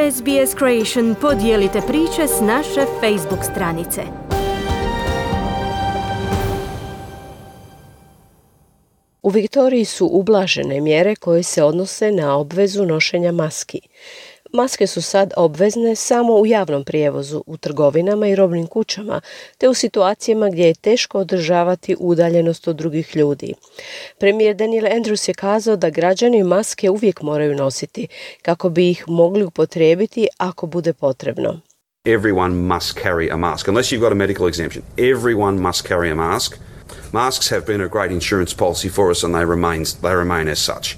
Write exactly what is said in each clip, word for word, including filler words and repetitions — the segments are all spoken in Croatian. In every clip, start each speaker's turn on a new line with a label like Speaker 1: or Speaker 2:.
Speaker 1: S B S Creation podijelite priče s naše Facebook stranice. U Viktoriji su ublažene mjere koje se odnose na obvezu nošenja maski. Maske su sad obvezne samo u javnom prijevozu, u trgovinama i robnim kućama, te u situacijama gdje je teško održavati udaljenost od drugih ljudi. Premijer Daniel Andrews je kazao da građani maske uvijek moraju nositi, kako bi ih mogli upotrijebiti ako bude potrebno.
Speaker 2: Everyone must carry a mask, unless you've got a medical exemption. Everyone must carry a mask. Masks have been a great insurance policy for us and they remain, they remain as such.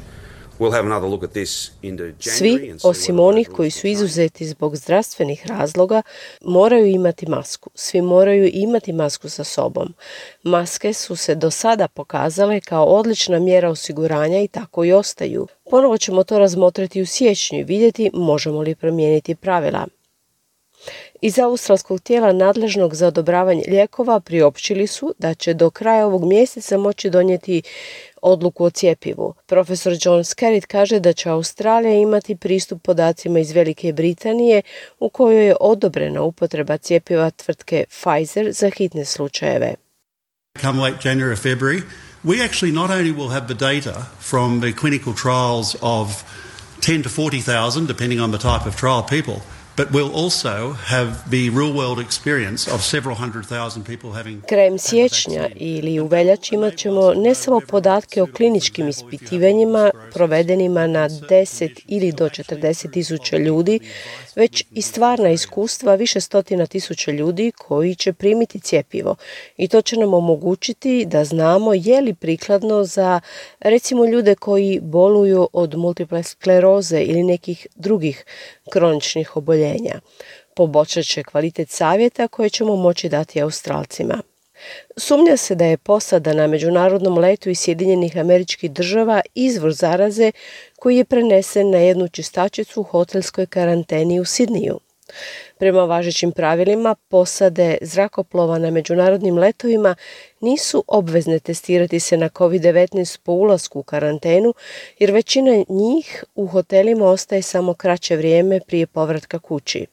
Speaker 2: We'll have another look at this into January.
Speaker 1: Svi, osim onih koji su izuzeti zbog zdravstvenih razloga, moraju imati masku. Svi moraju imati masku sa sobom. Maske su se do sada pokazale kao odlična mjera osiguranja i tako i ostaju. Ponovo ćemo to razmotriti u siječnju i vidjeti možemo li promijeniti pravila. Iz australskog tijela nadležnog za odobravanje lijekova priopćili su da će do kraja ovog mjeseca moći donijeti odluku o cjepivu. Profesor John Skerritt kaže da će Australija imati pristup podacima iz Velike Britanije u kojoj je odobrena upotreba cjepiva tvrtke Pfizer za hitne slučajeve.
Speaker 3: Come late January or February, we actually not only will have the data from the clinical trials of ten to forty thousand, depending on the type of trial people, but we'll also have the real-world experience of several hundred thousand people having...
Speaker 1: Krajem siječnja ili u veljači imat ćemo ne samo podatke o kliničkim ispitivanjima provedenima na deset ili do četrdeset tisuća ljudi, već i stvarna iskustva više stotina tisuća ljudi koji će primiti cjepivo. I to će nam omogućiti da znamo je li prikladno za, recimo, ljude koji boluju od multiple skleroze ili nekih drugih kroničnih oboljenja. Poboljšat će kvalitet savjeta koje ćemo moći dati Australcima. Sumnja se da je posada na međunarodnom letu iz Sjedinjenih Američkih Država izvor zaraze koji je prenesen na jednu čistačicu u hotelskoj karanteni u Sidniju. Prema važećim pravilima, posade zrakoplova na međunarodnim letovima nisu obvezne testirati se na covid devetnaest po ulasku u karantenu, jer većina njih u hotelima ostaje samo kraće vrijeme prije povratka kući.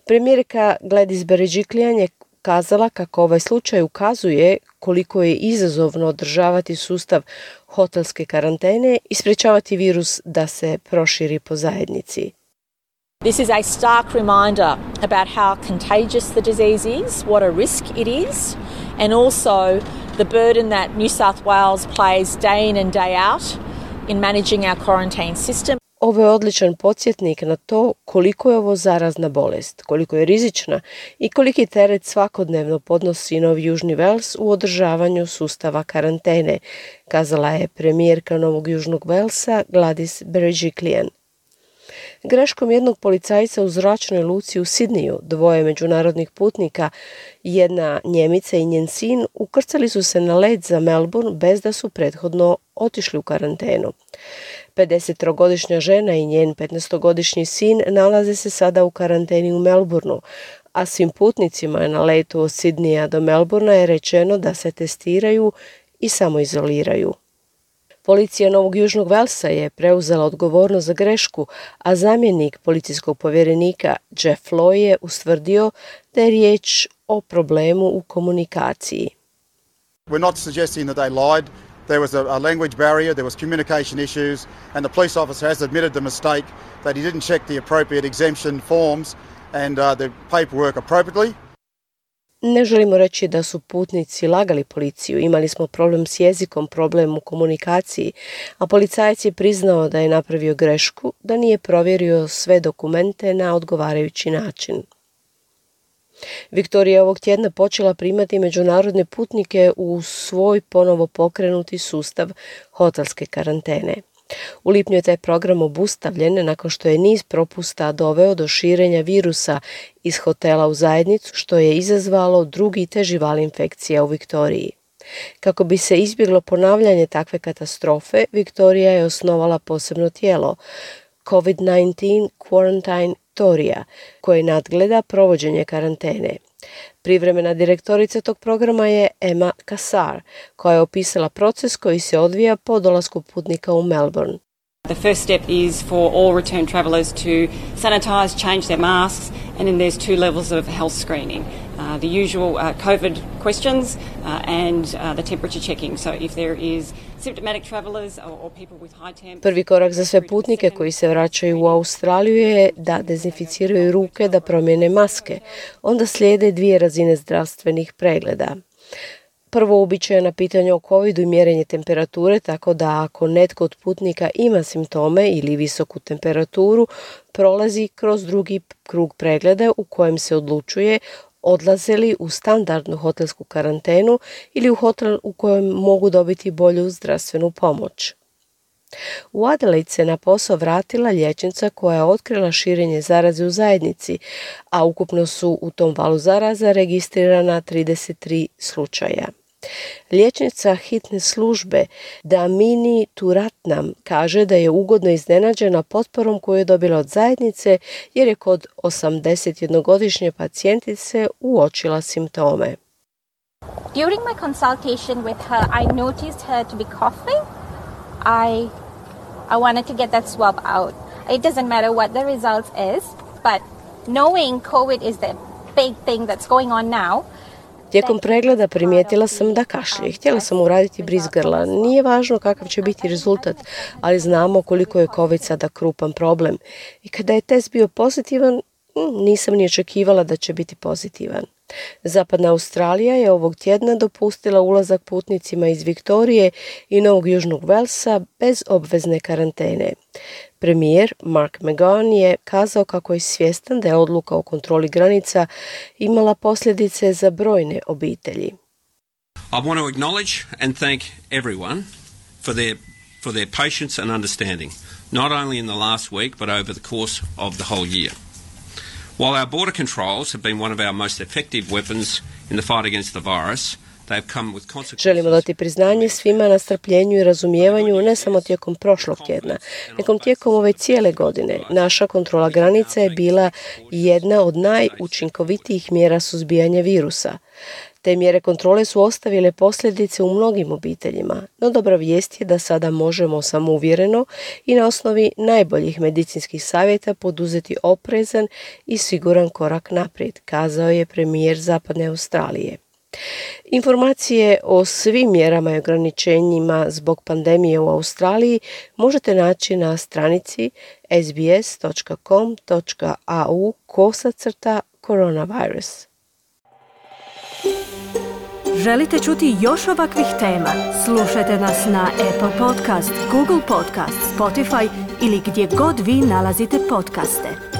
Speaker 1: Premijerka Gladys Berejiklian je kazala kako ovaj slučaj ukazuje koliko je izazovno održavati sustav hotelske karantene i sprječavati virus da se proširi po zajednici.
Speaker 4: This is a stark reminder about how contagious the disease is, what a risk it is, and also the burden that New South Wales plays day in and day out in managing our quarantine system.
Speaker 1: Ovo je odličan podsjetnik na to koliko je ovo zarazna bolest, koliko je rizična i koliki teret svakodnevno podnosi Novi Južni Vels u održavanju sustava karantene, kazala je premijerka Novog Južnog Velsa Gladys Berejiklian. Greškom jednog policajca u zračnoj luci u Sidniju, dvoje međunarodnih putnika, jedna Njemica i njen sin, ukrcali su se na let za Melbourne bez da su prethodno otišli u karantenu. pedesettrogodišnja žena i njen petnaestogodišnji sin nalaze se sada u karanteni u Melbourneu, a svim putnicima na letu od Sidnija do Melbournea je rečeno da se testiraju i samoizoliraju. Policija Novog Južnog Velsa je preuzela odgovornost za grešku, a zamjenik policijskog povjerenika Jeff Loy je ustvrdio da je riječ o problemu u komunikaciji.
Speaker 5: We're not suggesting that they lied. There was a, a language barrier, there was communication issues, and the police officer has admitted the mistake that he didn't check the appropriate exemption forms and uh, the paperwork appropriately.
Speaker 1: Ne želimo reći da su putnici lagali policiju, imali smo problem s jezikom, problem u komunikaciji, a policajac je priznao da je napravio grešku, da nije provjerio sve dokumente na odgovarajući način. Viktorija je ovog tjedna počela primati međunarodne putnike u svoj ponovo pokrenuti sustav hotelske karantene. U lipnju je taj program obustavljen nakon što je niz propusta doveo do širenja virusa iz hotela u zajednicu, što je izazvalo drugi teži val infekcija u Viktoriji. Kako bi se izbjeglo ponavljanje takve katastrofe, Viktorija je osnovala posebno tijelo, covid devetnaest Quarantine Victoria, koje nadgleda provođenje karantene. Privremena direktorica tog programa je Emma Cassar, koja je opisala proces koji se odvija po dolasku putnika u Melbourne.
Speaker 6: The first step is for all return travellers to sanitise, change their masks, and then there's two levels of health screening. Uh, the usual uh, COVID questions uh, and uh, the temperature checking. So if there is symptomatic travellers or, or people with high temps.
Speaker 1: Prvi korak za sve putnike koji se vraćaju u Australiju je da dezinficiraju ruke, da promijene maske. Onda slijede dvije razine zdravstvenih pregleda. Prvo uobičajena pitanja o covidu i mjerenje temperature, tako da ako netko od putnika ima simptome ili visoku temperaturu, prolazi kroz drugi krug pregleda u kojem se odlučuje odlaze li u standardnu hotelsku karantenu ili u hotel u kojem mogu dobiti bolju zdravstvenu pomoć. U Adelaide se na posao vratila liječnica koja je otkrila širenje zaraze u zajednici, a ukupno su u tom valu zaraza registrirana trideset tri slučaja. Liječnica hitne službe Damini Turatnam kaže da je ugodno iznenađena potporom koju je dobila od zajednice jer je kod osamdesetjednogodišnje pacijentice uočila simptome.
Speaker 7: During my consultation with her, I noticed her to be coughing. I I wanted to get that swab out. It doesn't matter what the results is, but knowing COVID is the big thing that's going on now.
Speaker 1: Tijekom pregleda primijetila sam da kašlje. Htjela sam uraditi bris grla. Nije važno kakav će biti rezultat, ali znamo koliko je COVID sada krupan problem. I kada je test bio pozitivan, nisam ni očekivala da će biti pozitivan. Zapadna Australija je ovog tjedna dopustila ulazak putnicima iz Viktorije i Novog Južnog Velsa bez obvezne karantene. Premijer Mark McGowan je kazao kako je svjestan da je odluka o kontroli granica imala posljedice za brojne obitelji.
Speaker 8: I want to acknowledge and thank everyone for their for their patience and understanding, not only in the last week but over the course of the whole year. While our border controls have been one of our most effective weapons in the fight against the virus, they've come with consequences.
Speaker 1: Želimo dati priznanje svima na strpljenju i razumijevanju ne samo tijekom prošlog tjedna, nego tijekom ove cijele godine. Naša kontrola granica je bila jedna od najučinkovitijih mjera suzbijanja virusa. Te mjere kontrole su ostavile posljedice u mnogim obiteljima, no dobra vijest je da sada možemo samouvjereno i na osnovi najboljih medicinskih savjeta poduzeti oprezan i siguran korak naprijed, kazao je premijer Zapadne Australije. Informacije o svim mjerama i ograničenjima zbog pandemije u Australiji možete naći na stranici s b s dot com dot a u kosacrta coronavirus.
Speaker 9: Želite čuti još ovakvih tema? Slušajte nas na Apple Podcast, Google Podcast, Spotify ili gdje god vi nalazite podcaste.